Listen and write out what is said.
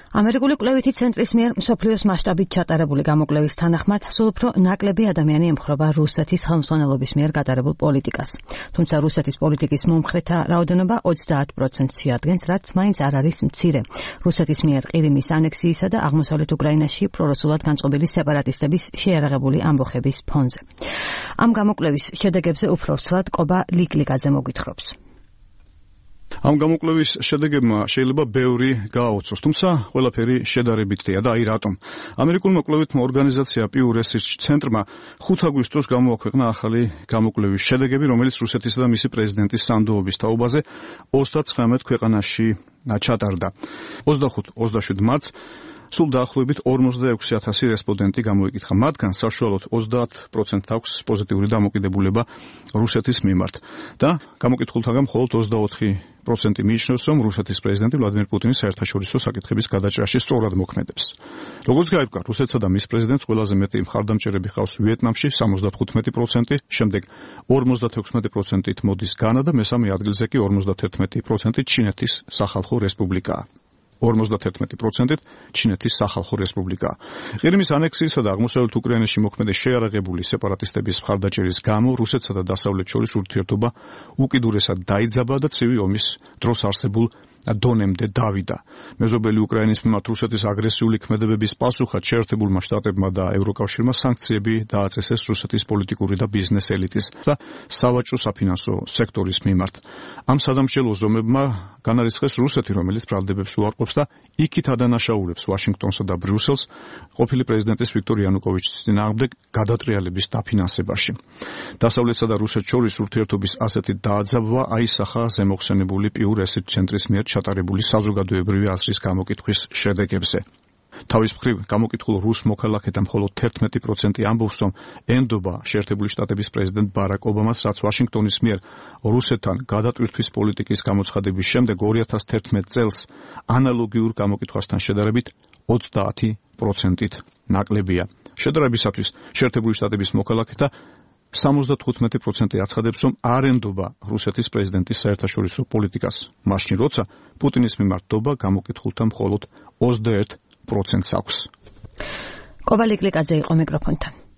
ამერიკული კვლევითი ცენტრის მიერ მსოფლიოს მასშტაბით ჩატარებული გამოკვლევის თანახმად, სულ უფრო ნაკლები ადამიანი ემხრობა რუსეთის ხელმძღვანელობის მიერ გატარებულ პოლიტიკას. თუმცა რუსეთის პოლიტიკის მომხრეთა რაოდენობა 30%-ს შეადგენს, რაც მაინც არ არის მცირე. რუსეთის მიერ ყირიმის ანექსიისა და აღმოსავლეთ უკრაინაში პრორუსულად განწყობილი სეპარატისტების შეიარაღებული ამბოხების ფონზე. ამ გამოკვლევის შედეგებზე უფრო ცალად კობა ლიკლიკაძე მოგვითხრობს. ამ გამოკვლევის შედეგებმა შეიძლება ბევრი გააოცოს, თუმცა ყველაფერი შედარებითია და აი რატომ. ამერიკულმა კვლევითმა ორგანიზაცია Pew Research ცენტრმა 5 აგვისტოს გამოაქვეყნა ახალი გამოკვლევის შედეგები, რომელიც რუსეთისა და მისი პრეზიდენტის სანდოობის თაობაზე 39 ქვეყანაში ჩატარდა. 25-27 მარტს სულ დაახლოებით 46,000 რესპონდენტი გამოიკითხა. მათგან საშუალოდ 30% აქვს პოზიტიური დამოკიდებულება რუსეთის მიმართ და გამოკითხულთაგან მხოლოდ 24% მიიჩნევს, რომ რუსეთის პრეზიდენტი ვლადიმერ პუტინი საერთაშორისო საკითხების გადაჭრაში სწორად მოქმედებს. როგორც გაირკვა, რუსეთსა და მის პრეზიდენტს ყველაზე მეტი მხარდამჭერები ჰყავს ვიეტნამში 75%, შემდეგ 56%-ით მოდის განა და მესამე ადგილზე კი 51%-ით ჩინეთის სახალხო რესპუბლიკაა. 51%-ით ჩინეთის სახალხო რესპუბლიკა. ყირიმის ანექსიისა და აღმოსავლეთ უკრაინაში მოქმედი შეიარაღებული სეპარატისტების მხარდაჭერის გამო რუსეთსა და დასავლეთს შორის ურთიერთობა უკიდურესად დაიძაბა და ცივი ომის დროს არსებულ დონემდე დავიდა. მეზობელი უკრაინის მიმართ რუსეთის აგრესიული ქმედებების პასუხად შეერთებულმა შტატებმა და ევროკავშირმა სანქციები დააწესეს რუსეთის პოლიტიკური და ბიზნეს ელიტის და სავაჭრო საფინანსო სექტორის მიმართ. ამ სადამსჯელო ზომებმა განარისხეს რუსეთი, რომელიც ბრალდებებს უარყოფს და იქით ადანაშაულებს ვაშინგტონსა და ბრიუსელს ყოფილი პრეზიდენტის ვიქტორ იანუკოვიჩის წინააღმდეგ გადატრიალების დაფინანსებაში. დასავლეთსა და რუსეთს შორის ურთიერთობის ასეთი დააძაბვა აისახა ზემოხსენებული Pew Research ცენტრის მიერ ჩატარებული საზოგადოებრივი აზრის გამოკითხვის შედეგებზე. თავის მხრივ გამოკითხულ რუს მოქალაქეთა მხოლოდ 11% ამბობს, რომ ენდობა შეერთებული შტატების პრეზიდენტ ბარაკ ობამას, რაც ვაშინგტონის მიერ რუსეთთან გადატვირთვის პოლიტიკის გამოცხადების შემდეგ 2011 წელს ანალოგიურ გამოკითხვასთან შედარებით 30%-ით ნაკლებია. შედარებისათვის შეერთებული შტატების მოქალაქეთა 75% აცხადებს, რომ არ ენდობა რუსეთის პრეზიდენტის საერთაშორისო პოლიტიკას, მაშინ როცა პუტინის მიმართ დობა გამოკითხულთა მხოლოდ 21%-ს აქვს. კობა ლიკლიკაძე იყო მიკროფონთან.